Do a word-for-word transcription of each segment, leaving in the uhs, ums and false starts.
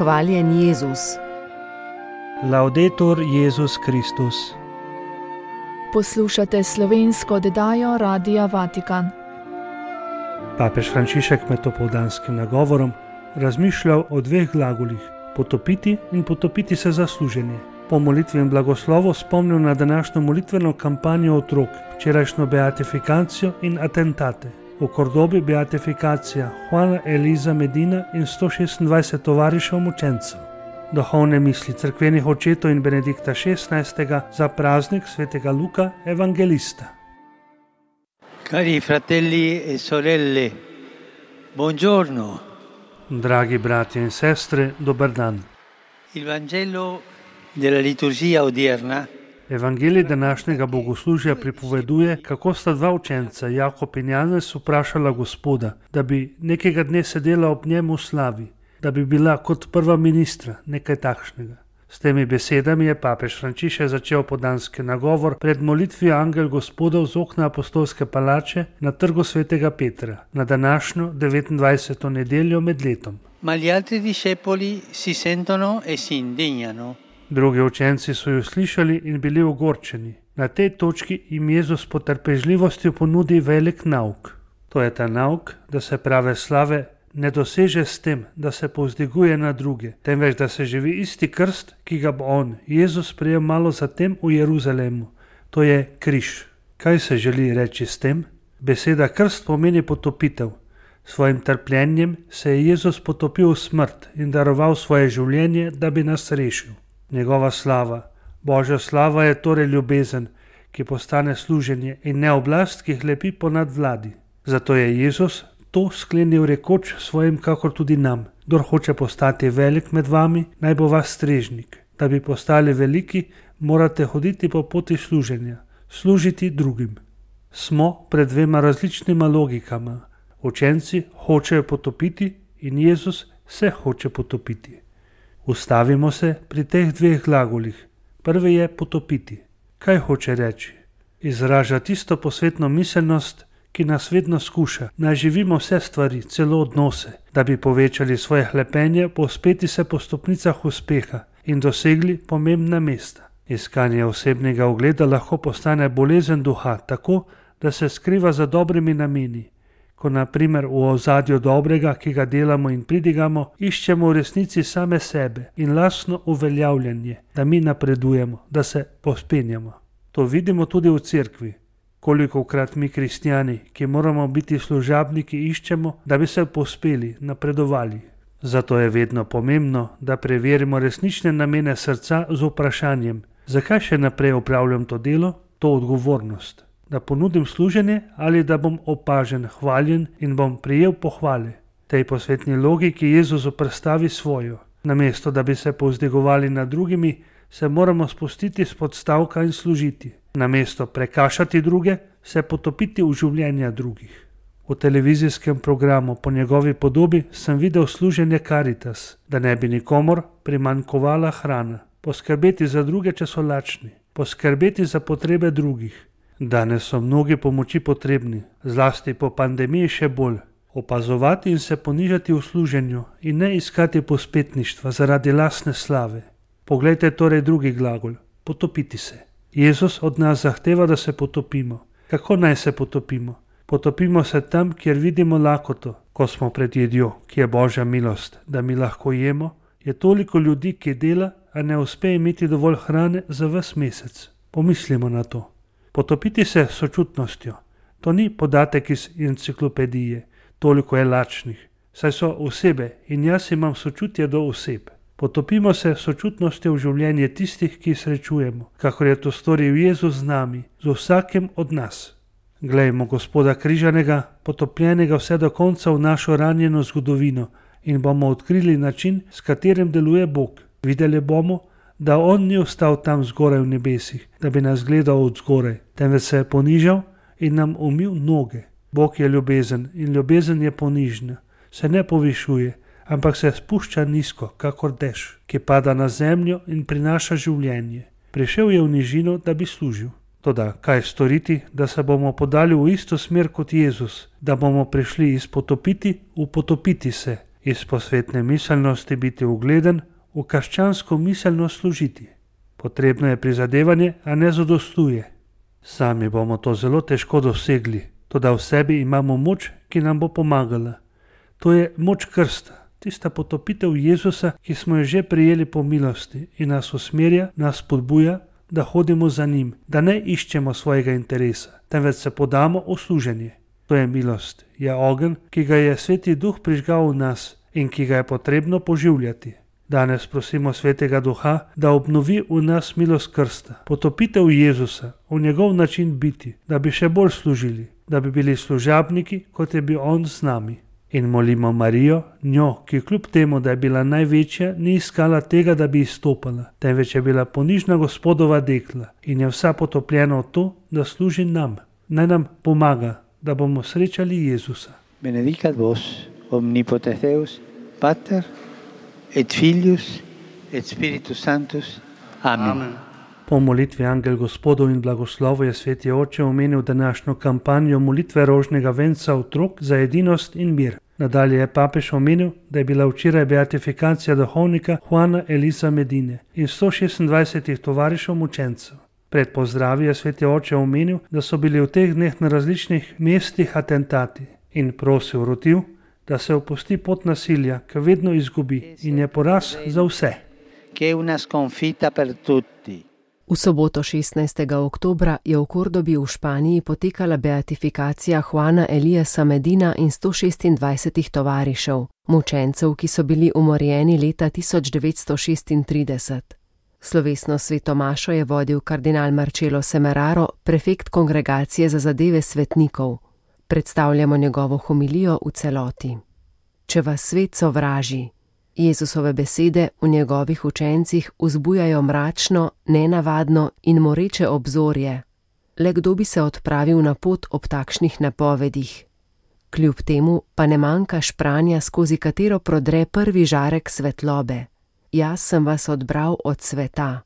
Hvaljen Jezus. Laudetur Jezus Kristus. Poslušate slovensko oddajo Radia Vatikan. Papež Frančišek med opoldanskim nagovorom razmišljal o dveh glagolih, potopiti in potopiti se za služenje. Po molitvi in blagoslovu spomnil na današnjo molitveno kampanjo otrok, včerajšnjo beatifikacijo in atentate. V Kordobi beatifikacija Juana Eliza Medina in sto šestindvajset tovarišev mučencev. Duhovne misli cerkvenih očetov in Benedikta šestnajstega za praznik svetega Luka Evangelista. Cari fratelli e sorelle, buongiorno. Dragi bratje in sestre, dober dan. Il Vangelo della liturgia odierna Evangelij današnjega bogoslužja pripoveduje, kako sta dva učenca, Jakob in Janez, vprašala Gospoda, da bi nekega dne sedela ob njemu v slavi, da bi bila kot prva ministra, nekaj takšnega. S temi besedami je papež Frančišek začel podanski nagovor pred molitvijo Angel Gospodov z okna apostolske palače na trgu svetega Petra, na današnjo devetindvajseto nedeljo med letom. Ma gli altri discepoli si sentono e si indignano. Drugi učenci so jo slišali in bili ogorčeni. Na tej točki jim Jezus po trpežljivostjo ponudi velik nauk. To je ta nauk, da se prave slave ne doseže s tem, da se povzdiguje na druge, temveč da se živi isti krst, ki ga bo on, Jezus, prejel malo zatem v Jeruzalemu. To je križ. Kaj se želi reči s tem? Beseda krst pomeni potopitev. Svojim trpljenjem se je Jezus potopil v smrt in daroval svoje življenje, da bi nas rešil. Njegova slava, Božja slava, je torej ljubezen, ki postane služenje, in ne oblast, ki hlepi ponad vladi. Zato je Jezus to sklenil rekoč svojim, kakor tudi nam: kdor hoče postati velik med vami, naj bo vaš strežnik. Da bi postali veliki, morate hoditi po poti služenja, služiti drugim. Smo pred dvema različnima logikama. Učenci hočejo potopiti in Jezus se hoče potopiti. Ustavimo se pri teh dveh glagolih. Prvi je potopiti. Kaj hoče reči? Izraža tisto posvetno miselnost, ki nas vedno skuša, naj živimo vse stvari, celo odnose, da bi povečali svoje hlepenje, povzpeti se po stopnicah uspeha in dosegli pomembna mesta. Iskanje osebnega ugleda lahko postane bolezen duha, tako da se skriva za dobrimi nameni. Ko na primer v ozadju dobrega, ki ga delamo in pridigamo, iščemo v resnici same sebe in lastno uveljavljanje, da mi napredujemo, da se povzpenjamo. To vidimo tudi v cerkvi. Kolikokrat mi kristjani, ki moramo biti služabniki, iščemo, da bi se povzpeli, napredovali. Zato je vedno pomembno, da preverimo resnične namene srca z vprašanjem: zakaj še naprej opravljam to delo, to odgovornost? Da ponudim služenje ali da bom opažen, hvaljen in bom prijel pohvale? Tej posvetni logiki Jezus oprstavi svojo. Namesto da bi se povzdigovali nad drugimi, se moramo spustiti s podstavka in služiti. Namesto prekašati druge, se potopiti v življenja drugih. V televizijskem programu Po njegovi podobi sem videl služenje Caritas, da ne bi nikomor primanjkovala hrana. Poskrbeti za druge, če so lačni. Poskrbeti za potrebe drugih. Danes so mnogi pomoči potrebni, zlasti po pandemiji še bolj. Opazovati in se ponižati v služenju in ne iskati povzpetništva zaradi lastne slave. Poglejte torej drugi glagol, potopiti se. Jezus od nas zahteva, da se potopimo. Kako naj se potopimo? Potopimo se tam, kjer vidimo lakoto, ko smo pred jedjo, ki je Božja milost, da mi lahko jemo. Je toliko ljudi, ki dela, a ne uspe imeti dovolj hrane za ves mesec. Pomislimo na to. Potopiti se s sočutnostjo. To ni podatek iz enciklopedije, toliko je lačnih, saj so osebe in jaz imam sočutje do oseb. Potopimo se s sočutnostjo v življenje tistih, ki jih srečujemo, kakor je to storil Jezus z nami, z vsakim od nas. Glejmo Gospoda križanega, potopljenega vse do konca v našo ranjeno zgodovino, in bomo odkrili način, s katerim deluje Bog. Videli bomo, da on ni ostal tam zgoraj v nebesih, da bi nas gledal od zgoraj, temveč se je ponižal in nam umil noge. Bog je ljubezen in ljubezen je ponižna, se ne povišuje, ampak se spušča nizko, kakor dež, ki pada na zemljo in prinaša življenje. Prišel je v nižino, da bi služil. Toda kaj storiti, da se bomo podali v isto smer kot Jezus, da bomo prišli iz potopiti v potopiti se Iz posvetne miselnosti biti ugleden, v krščansko miselnost služiti. Potrebno je prizadevanje, a ne zadostuje. Sami bomo to zelo težko dosegli, toda v sebi imamo moč, ki nam bo pomagala. To je moč krsta, tista potopitev Jezusa, ki smo jo že prijeli po milosti in nas usmerja, nas spodbuja, da hodimo za njim, da ne iščemo svojega interesa, temveč se podamo v služenje. To je milost, je ogenj, ki ga je Sveti Duh prižgal v nas in ki ga je potrebno poživljati. Danes prosimo Svetega Duha, da obnovi v nas milost krsta, potopitev Jezusa, v njegov način biti, da bi še bolj služili, da bi bili služabniki, kot je bil on z nami. In molimo Marijo, njo, ki kljub temu, da je bila največja, ni iskala tega, da bi izstopala, temveč je bila ponižna Gospodova dekla in je vsa potopljena v to, da služi nam. Naj nam pomaga, da bomo srečali Jezusa. Benedicat vos, omnipotens Deus, Pater, et Filius, et Spiritus Sanctus. Amen. Amen. Po molitvi Angel Gospodov in blagoslovu je Sveti Oče omenil današnjo kampanjo molitve rožnega venca otrok za edinost in mir. Nadalje je papež omenil, da je bila včeraj beatifikacija duhovnika Juana Elisa Medine in sto šestindvajsetih tovarišev mučencev. Pred pozdravi je Sveti Oče omenil, da so bili v teh dneh na različnih mestih atentati in prosil rotiv, da se opusti pot nasilja, ki vedno izgubi in je poraz za vse. Che è una sconfitta per tutti. V soboto šestnajstega oktobra je v Kordobi v Španiji potekala beatifikacija Juana Eliasa Medina in sto šestindvajsetih tovarišev, mučencev, ki so bili umorjeni leta tisoč devetsto šestintrideset. Slovesno sveto mašo je vodil kardinal Marcello Semeraro, prefekt Kongregacije za zadeve svetnikov. Predstavljamo njegovo homilijo v celoti. Če vas svet sovraži, Jezusove besede v njegovih učencih vzbujajo mračno, nenavadno in moreče obzorje. Le kdo bi se odpravil na pot ob takšnih napovedih? Kljub temu pa ne manjka špranja, skozi katero prodre prvi žarek svetlobe. Jaz sem vas odbral od sveta.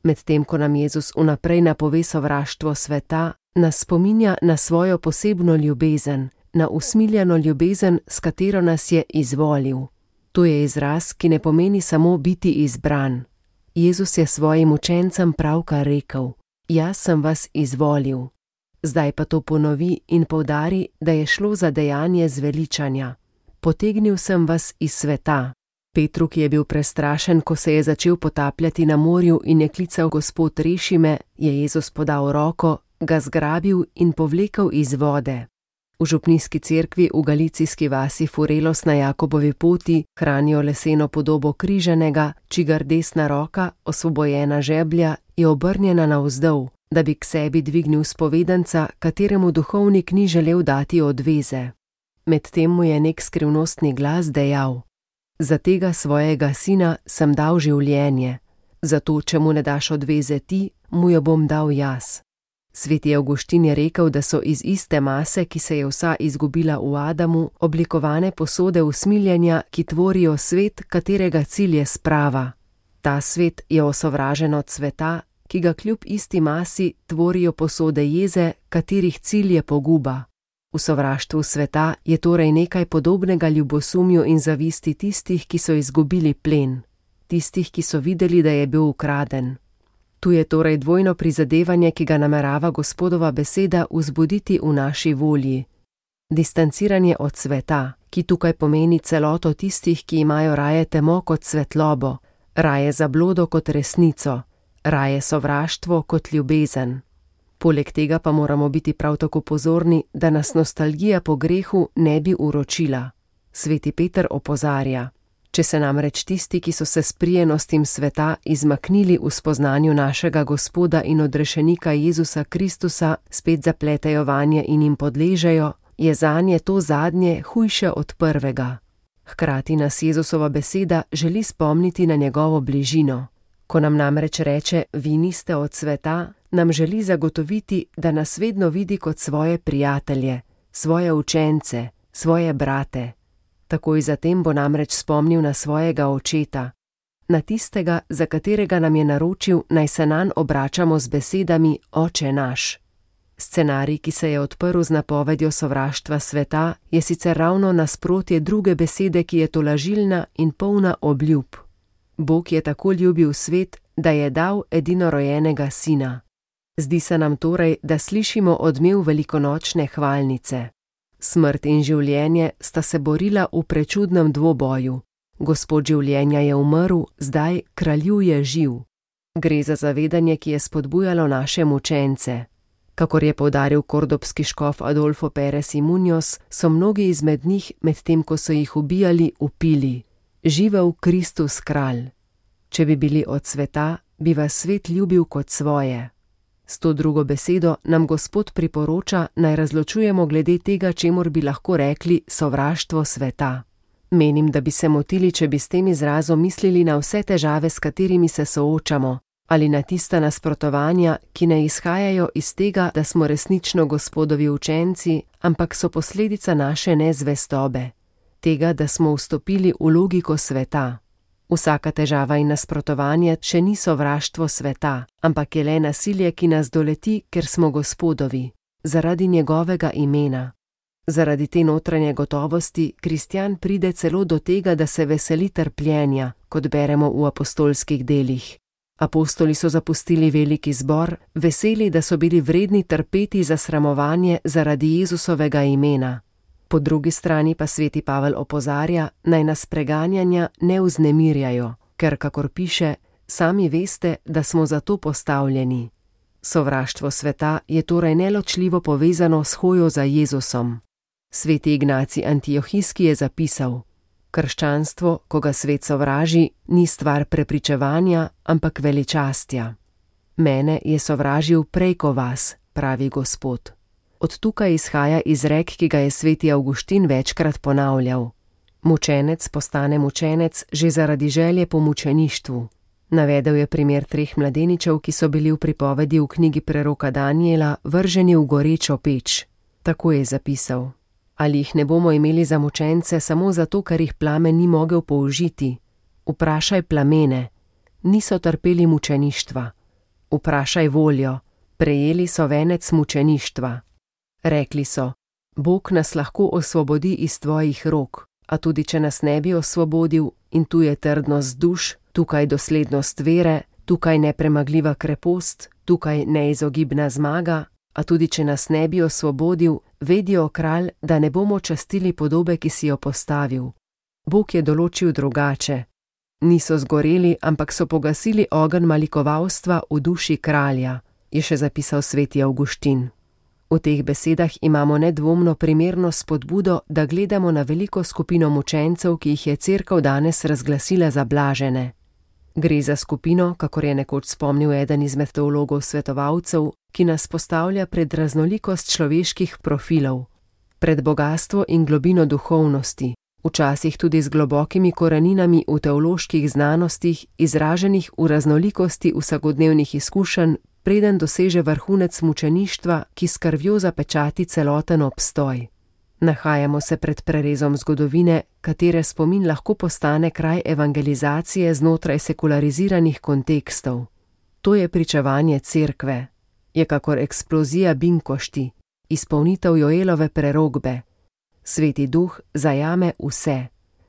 Medtem ko nam Jezus vnaprej napove sovraštvo sveta, nas spominja na svojo posebno ljubezen, na usmiljeno ljubezen, s katero nas je izvolil. To je izraz, ki ne pomeni samo biti izbran. Jezus je svojim učencem pravkar rekel: Jaz sem vas izvolil. Zdaj pa to ponovi in poudari, da je šlo za dejanje zveličanja. Potegnil sem vas iz sveta. Petru, ki je bil prestrašen, ko se je začel potapljati na morju in je klical: Gospod, reši me, je Jezus podal roko, ga zgrabil in povlekel iz vode. V župnijski cerkvi v galicijski vasi Furelos na Jakobovi poti hranijo leseno podobo križanega, čigar desna roka, osvobojena žeblja, je obrnjena navzdol, da bi k sebi dvignil spovedanca, kateremu duhovnik ni želel dati odveze. Medtem mu je nek skrivnostni glas dejal: Za tega svojega sina sem dal življenje, zato če mu ne daš odveze ti, mu jo bom dal jaz. Sveti Avguštin je rekel, da so iz iste mase, ki se je vsa izgubila v Adamu, oblikovane posode usmiljenja, ki tvorijo svet, katerega cilj je sprava. Ta svet je osovražen od sveta, ki ga kljub isti masi tvorijo posode jeze, katerih cilj je poguba. V sovraštvu sveta je torej nekaj podobnega ljubosumju in zavisti tistih, ki so izgubili plen, tistih, ki so videli, da je bil ukraden. Tu je torej dvojno prizadevanje, ki ga namerava Gospodova beseda vzbuditi v naši volji. Distanciranje od sveta, ki tukaj pomeni celoto tistih, ki imajo raje temo kot svetlobo, raje zablodo kot resnico, raje sovraštvo kot ljubezen. Poleg tega pa moramo biti prav tako pozorni, da nas nostalgija po grehu ne bi uročila. Sveti Peter opozarja: Če se namreč tisti, ki so se s prijenostim sveta izmaknili v spoznanju našega Gospoda in odrešenika Jezusa Kristusa, spet zapletejo vanje in jim podležejo, je zanje to zadnje hujše od prvega. Hkrati nas Jezusova beseda želi spomniti na njegovo bližino. Ko nam namreč reče: vi niste od sveta, nam želi zagotoviti, da nas vedno vidi kot svoje prijatelje, svoje učence, svoje brate. Takoj zatem bo namreč spomnil na svojega očeta, na tistega, za katerega nam je naročil, naj se nanj obračamo z besedami: Oče naš. Scenarij, ki se je odprl z napovedjo sovraštva sveta, je sicer ravno nasprotje druge besede, ki je tolažilna in polna obljub. Bog je tako ljubil svet, da je dal edinorojenega sina. Zdi se nam torej, da slišimo odmev velikonočne hvalnice. Smrt in življenje sta se borila v prečudnem dvoboju. Gospod življenja je umrl, zdaj kraljuje živ. Gre za zavedanje, ki je spodbujalo naše mučence. Kakor je poudaril kordobski škof Adolfo Pérez y Muñoz, so mnogi izmed njih, medtem ko so jih ubijali, vpili: Živel Kristus kralj. Če bi bili od sveta, bi vas svet ljubil kot svoje. S to drugo besedo nam Gospod priporoča, naj razločujemo glede tega, čemur bi lahko rekli sovraštvo sveta. Menim, da bi se motili, če bi s tem izrazom mislili na vse težave, s katerimi se soočamo, ali na tista nasprotovanja, ki ne izhajajo iz tega, da smo resnično Gospodovi učenci, ampak so posledica naše nezvestobe, tega, da smo vstopili v logiko sveta. Vsaka težava in nasprotovanje še ni sovraštvo sveta, ampak je le nasilje, ki nas doleti, ker smo Gospodovi, zaradi njegovega imena. Zaradi te notranje gotovosti kristjan pride celo do tega, da se veseli trpljenja, kot beremo v apostolskih delih. Apostoli so zapustili veliki zbor, veseli, da so bili vredni trpeti za sramovanje zaradi Jezusovega imena. Po drugi strani pa sveti Pavel opozarja, naj nas preganjanja ne vznemirjajo, ker, kakor piše, sami veste, da smo za to postavljeni. Sovraštvo sveta je torej neločljivo povezano s hojo za Jezusom. Sveti Ignacij Antiohijski je zapisal: Krščanstvo, ko ga svet sovraži, ni stvar prepričevanja, ampak veličastja. Mene je sovražil prej ko vas, pravi Gospod. Od tukaj izhaja izrek, ki ga je sveti Avguštin večkrat ponavljal: Mučenec postane mučenec že zaradi želje po mučeništvu. Navedel je primer treh mladeničev, ki so bili v pripovedi v knjigi preroka Daniela vrženi v gorečo peč. Tako je zapisal: Ali jih ne bomo imeli za mučence samo zato, ker jih plamen ni mogel použiti? Vprašaj plamene, niso trpeli mučeništva. Vprašaj voljo, prejeli so venec mučeništva. Rekli so: Bog nas lahko osvobodi iz tvojih rok, a tudi če nas ne bi osvobodil, in tu je trdnost duš, tukaj doslednost vere, tukaj nepremagljiva krepost, tukaj neizogibna zmaga, a tudi če nas ne bi osvobodil, vedijo kralj, da ne bomo častili podobe, ki si jo postavil. Bog je določil drugače. Niso zgoreli, ampak so pogasili ogenj malikovalstva v duši kralja, je še zapisal sveti Avguštin. V teh besedah imamo nedvomno primerno spodbudo, da gledamo na veliko skupino mučencev, ki jih je Cerkev danes razglasila za blažene. Gre za skupino, kakor je nekoč spomnil eden izmed teologov svetovalcev, ki nas postavlja pred raznolikost človeških profilov, pred bogastvo in globino duhovnosti, včasih tudi z globokimi koreninami v teoloških znanostih, izraženih v raznolikosti vsakodnevnih izkušenj, preden doseže vrhunec mučeništva, ki s krvjo zapečati celoten obstoj. Nahajamo se pred prerezom zgodovine, katere spomin lahko postane kraj evangelizacije znotraj sekulariziranih kontekstov. To je pričevanje Cerkve. Je kakor eksplozija binkošti, izpolnitev Joelove prerokbe. Sveti duh zajame vse,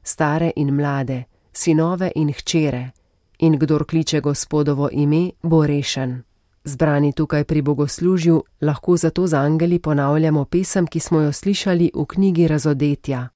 stare in mlade, sinove in hčere, in kdor kliče Gospodovo ime, bo rešen. Zbrani tukaj pri bogoslužju lahko zato z angeli ponavljamo pesem, ki smo jo slišali v knjigi Razodetja.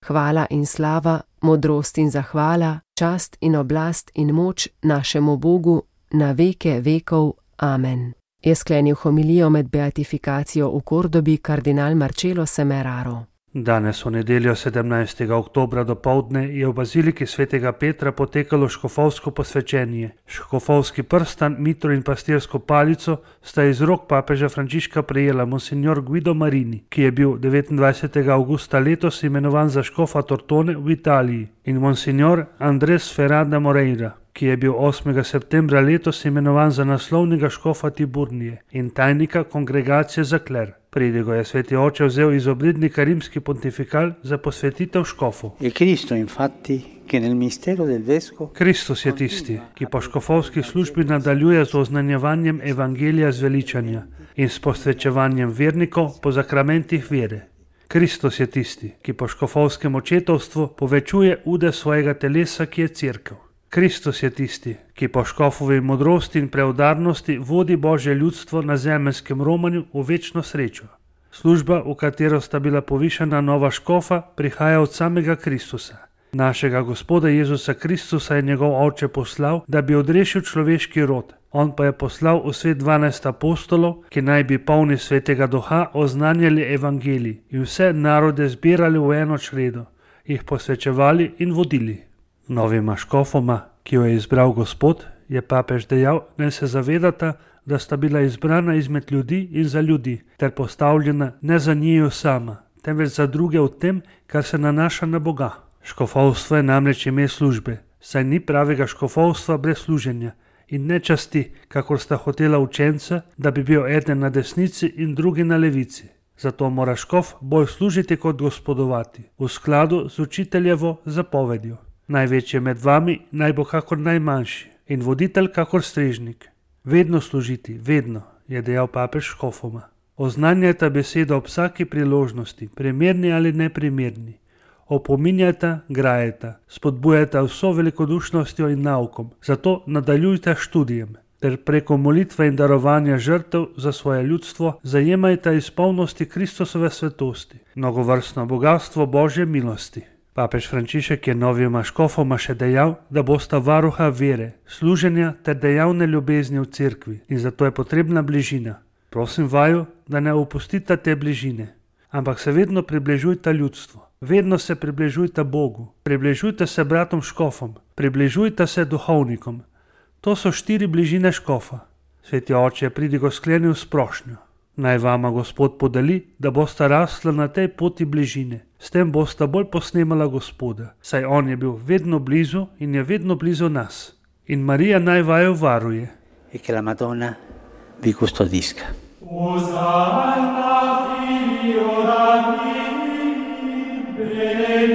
Hvala in slava, modrost in zahvala, čast in oblast in moč našemu Bogu na veke vekov. Amen. Je sklenil homilijo med beatifikacijo v Kordobi kardinal Marcello Semeraro. Danes v nedeljo sedemnajstega oktobra dopoldne je v baziliki svetega Petra potekalo škofovsko posvečenje. Škofovski prstan, mitro in pastirsko palico sta iz rok papeža Frančiška prejela monsignor Guido Marini, ki je bil devetindvajsetega avgusta letos imenovan za škofa Tortone v Italiji, in monsignor Andres Ferrada Moreira, ki je bil osmega septembra letos imenovan za naslovnega škofa Tiburnije in tajnika kongregacije za kler. Pridigo je sveti oče vzel iz obrednika rimski pontifikal za posvetitev škofov. Kristus je tisti, ki po škofovski službi nadaljuje z oznanjevanjem evangelija zveličanja. in s posvečevanjem vernikov po zakramentih vere. Kristus je tisti, ki po škofovskem očetovstvu povečuje ude svojega telesa, ki je cerkev. Kristus je tisti, ki po škofovi modrosti in preudarnosti vodi Božje ljudstvo na zemeljskem romanju v večno srečo. Služba, v katero sta bila povišana nova škofa, prihaja od samega Kristusa. Našega Gospoda Jezusa Kristusa je njegov oče poslal, da bi odrešil človeški rod. On pa je poslal v svet dvanajst apostolov, ki naj bi polni svetega duha oznanjali evangelij in vse narode zbirali v eno čredo, jih posvečevali in vodili. Novima škofoma, ki jo je izbral Gospod, je papež dejal, naj se zavedata, da sta bila izbrana izmed ljudi in za ljudi, ter postavljena ne za njiju sama, temveč za druge v tem, kar se nanaša na Boga. Škofovstvo je namreč ime službe, saj ni pravega škofovstva brez služenja in ne časti, kakor sta hotela učenca, da bi bil eden na desnici in drugi na levici. Zato mora škof bolj služiti kot gospodovati, v skladu z učiteljevo zapovedjo. Največji med vami naj bo kakor najmanjši in voditelj kakor strežnik. Vedno služiti, vedno, je dejal papež škofoma. Oznanjajta besedo ob vsaki priložnosti, primerni ali neprimerni. Opominjajta, grajeta, spodbujajta vso velikodušnostjo in naukom, zato nadaljujte študijem, ter preko molitve in darovanja žrtev za svoje ljudstvo zajemajta izpolnosti Kristusove svetosti, mnogovrstno bogatstvo Božje milosti. Papež Frančišek je novima škofoma še dejal, da bosta varuha vere, služenja ter dejavne ljubezni v cerkvi in zato je potrebna bližina. Prosim vaju, da ne opustite te bližine, ampak se vedno približujte ljudstvu. Vedno se približujte Bogu, približujte se bratom škofom, približujte se duhovnikom. To so štiri bližine škofa. Sveti oče je pridigo sklenil s prošnjo. Naj vama Gospod podeli, da bosta rasla na tej poti bližine. S tem bosta bolj posnemala Gospoda, saj on je bil vedno blizu in je vedno blizu nas. In Marija naj vaju varuje. E che la Madonna vi custodisca. Osanna Filio Davidi, benedictus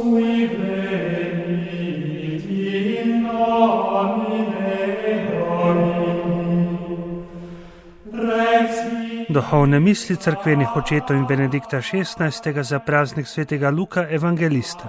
qui venit in nomine Domini. Rex Duhovne misli cerkvenih očetov in Benedikta šestnajstega za praznik svetega Luka evangelista.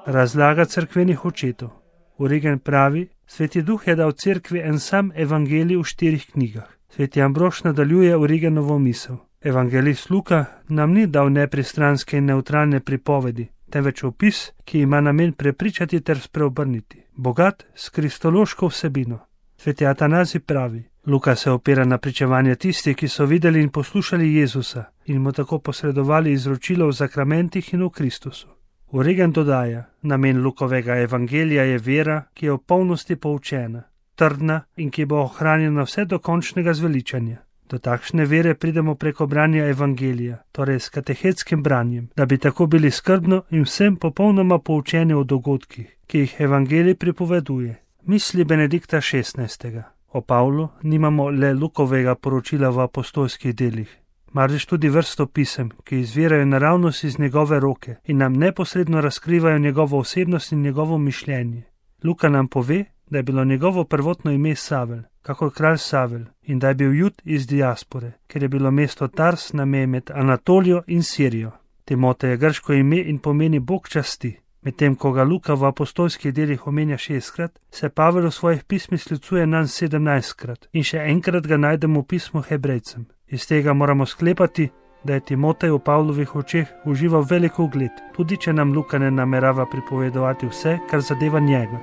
Razlaga cerkvenih očetov. Origen pravi, Sveti Duh je dal cerkvi en sam evangelij v štirih knjigah. Sveti Ambrož nadaljuje Origenovo misel. Evangelist Luka nam ni dal nepristranske in neutralne pripovedi, temveč opis, ki ima namen prepričati ter spreobrniti, bogat s kristološko vsebino. Sveti Atanazij pravi, Luka se opira na pričevanje tistih, ki so videli in poslušali Jezusa in mu tako posredovali izročilo v zakramentih in v Kristusu. Origen dodaja, namen Lukovega evangelija je vera, ki je v polnosti poučena, trdna in ki bo ohranjena vse do končnega zveličanja. Do takšne vere pridemo preko branja evangelija, torej s katehetskim branjem, da bi tako bili skrbno in vsem popolnoma poučeni o dogodkih, ki jih evangelij pripoveduje. Misli Benedikta šestnajstega. O Pavlu nimamo le Lukovega poročila v apostolskih delih, marveč tudi vrsto pisem, ki izvirajo naravnost iz njegove roke in nam neposredno razkrivajo njegovo osebnost in njegovo mišljenje. Luka nam pove, da je bilo njegovo prvotno ime Savel, kakor kralj Savel, in da je bil Jud iz diaspore, ker je bilo mesto Tars na meji med Anatolijo in Sirijo. Timotej je grško ime in pomeni Bog časti. Medtem ko ga Luka v apostolskih delih omenja šestkrat, se Pavel v svojih pismih sklicuje nanj sedemnajstkrat in še enkrat ga najdemo v pismu Hebrejcem. Iz tega moramo sklepati, da je Timotej v Pavlovih očeh užival veliko ugled, tudi če nam Luka ne namerava pripovedovati vse, kar zadeva njega.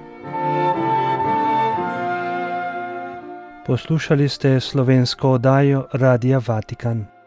Poslušali ste slovensko oddajo Radia Vatikan.